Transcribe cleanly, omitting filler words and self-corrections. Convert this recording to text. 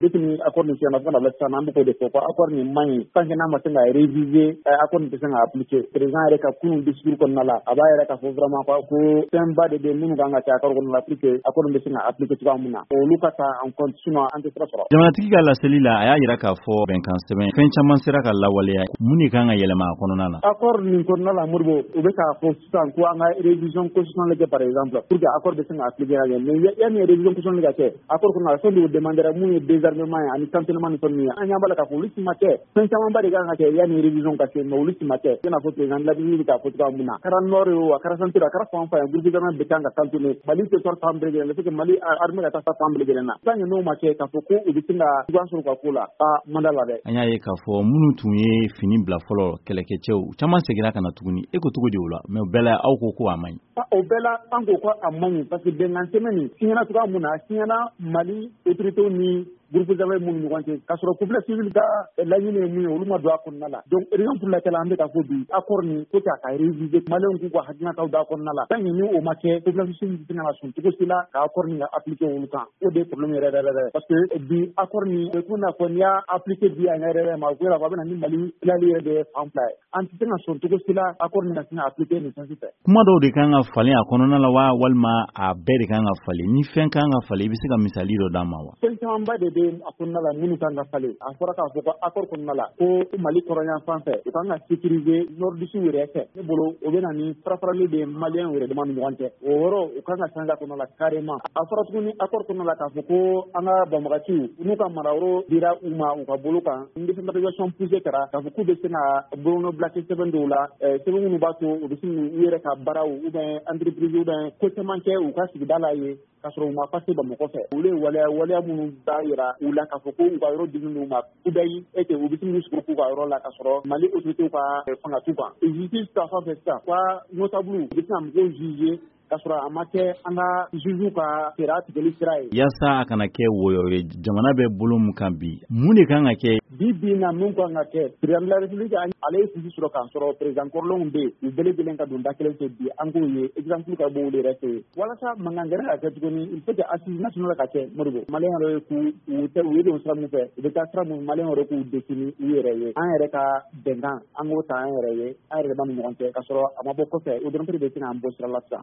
Depuis accord nin signé fo ka na bila sisan, an bɛ k'o de fɔ ko accord nin man ɲi. Tant que n'a ma se ka réviser, accord nin tɛ se ka appliquer. Président yɛrɛ ka kunun discours kɔnɔna la, a b'a yɛrɛ k'a fɔ vraiment ko fɛnba de bɛ minnu kan ka kɛ accord kɔnɔna la pour que accord nin bɛ se ka appliquer cogoya min na, olu ka ta en compte, sinon an tɛ sira sɔrɔ. Jamanatigi ka laseli la, a y'a yira k'a fɔ bɛnkan sɛbɛn fɛn caman sera ka lawaleya. Mun de kan ka yɛlɛma a kɔnɔna na? Accord nin kɔnɔna la, Modibo, u bɛ k'a fɔ sisan ko an ka révision constitutionnelle kɛ, par exemple, pour que accord bɛ se ka appliquer ka ɲɛ. Mais yanni révision constitutionnelle ka kɛ, accord kɔnɔna la, fɛn dɔw demandera mun ye désarmement ye ani cantonnement ni fɛn ninnu ye. An ɲɛ b'a la k'a fɔ olu si ma kɛ. Fɛn camanba de kan ka kɛ yanni révision ka se, mais olu si ma kɛ. I n'a fɔ président de la République k'a fɔ cogoya min na, a kɛra nord ye o, a kɛra centre, a kɛra fan o fan ye, groupe armé bɛɛ kan ka cantonner Mali territoire fan bɛɛ lajɛlen na, que Mali armée ka taa fan bɛɛ lajɛlen na. Tant que n'o ma kɛ, k'a fɔ ko u bɛ se ka cogoya sɔrɔ u ka ko la, a man da la dɛ. An y'a ye k'a fɔ minnu tun ye fini bila fɔlɔ, kɛlɛkɛcɛw caman seginna ka na tuguni. E ko cogo di o la? Mais o bɛɛ la, aw ko ko a man ɲi. O bɛɛ la, an ko ko a man ɲi, parce que bɛnkan sɛbɛn nin signera cogoya mun na, a signera Mali autorités ni groupe armé minnu ɲɔgɔn cɛ, k'a sɔrɔ population civile ka laɲini ye mun ye, olu ma don a kɔnɔna la. Donc raison pour laquelle an bɛ ka fɔ bi, accord nin, faut que a ka réviser, Maliyɛnw k'u ka hakilinataw d'a kɔnɔna la. Tant que ni o ma kɛ, population civile tɛ se ka sɔn cogo si la ka accord nin ka appliquer olu kan. O de ye problème yɛrɛ yɛrɛ yɛrɛ, parce que bi accord nin bɛ komi n'a fɔ n'i y'a appliquer bi a ɲɛ yɛrɛ yɛrɛ ma, o bɛ a bɛ na ni Mali tilali yɛrɛ de ye fan fila ye. An tɛ se ka sɔn cogo si la accord nin ka se ka appliquer nin sens fɛ. Kuma dɔw de kan ka falen a kɔnɔna la wa, walima a bɛɛ de kan ka falen? Ni fɛn kan ka falen, i bɛ se ka misali dɔ d'an ma wa? Fɛn camanba de bɛ a kɔnɔna la minnu kan ka falen. A fɔra k'a fɔ ko accord kɔnɔna la, ko Mali kɔrɔyan fan fɛ, u kan ka sécuriser nordiste yɛrɛ fɛ. Ne bolo, o bɛ na ni fara-farali de ye Maliyɛn yɛrɛ dama ni ɲɔgɔn cɛ. O yɔrɔ, u kan ka changer a kɔnɔna la carrément. A fɔra tuguni accord kɔnɔna la k'a fɔ ko an ka banbagaciw n'u ka marayɔrɔ dira u ma u ka bolo kan, décentralisation poussée kɛra, k'a fɔ k'u bɛ se ka bolonɔbila kɛ sɛbɛn dɔw la, sɛbɛn minnu b'a to u bɛ se k'u yɛrɛ ka baaraw ou bien entreprise ou bien ko caman kɛ u ka sigida la yen, k'a sɔrɔ u ma passer Bamakɔ fɛ. Olu ye waleya waleya minnu b'a yira u la k'a fɔ ko u ka yɔrɔ dilen d'u ma kudayi et que u bɛ se k'u sigi k'u ka yɔrɔ la, k'a sɔrɔ Mali autorités ka fanga t'u kan. Justice ta fan fɛ sisan, ka notable u bɛ se ka mɔgɔw juger k'a sɔrɔ a ma kɛ an ka juge ka sariya tigɛli sira ye. Yaasa a kana kɛ wɔyɔ ye, jamana bɛ bolo mun kan bi, mun de kan ka kɛ? Bi bi in na, mun kan ka kɛ, président de la République, ale ye sisi sɔrɔ k'a sɔrɔ président kɔrɔlenw bɛ yen, u bɛɛ lajɛlen ka don da kelen fɛ. Bi an k'o ye exemple ka bɔ olu yɛrɛ fɛ yen. Walasa mankan gɛrɛ ka kɛ tuguni, il faut que assise nationale ka kɛ, Modibo. Maliyɛn yɛrɛ k'u u tɛ u ye don sira mun fɛ, u bɛ taa sira mun, Maliyɛn yɛrɛ k'u définir u yɛrɛ ye. An yɛrɛ ka bɛnkan, an k'o ta an yɛrɛ ye, an yɛrɛ dama ni ɲɔgɔn cɛ, k'a sɔrɔ a ma bɔ kɔfɛ. O dɔrɔn de bɛ se k'an bɔ sira la sisan.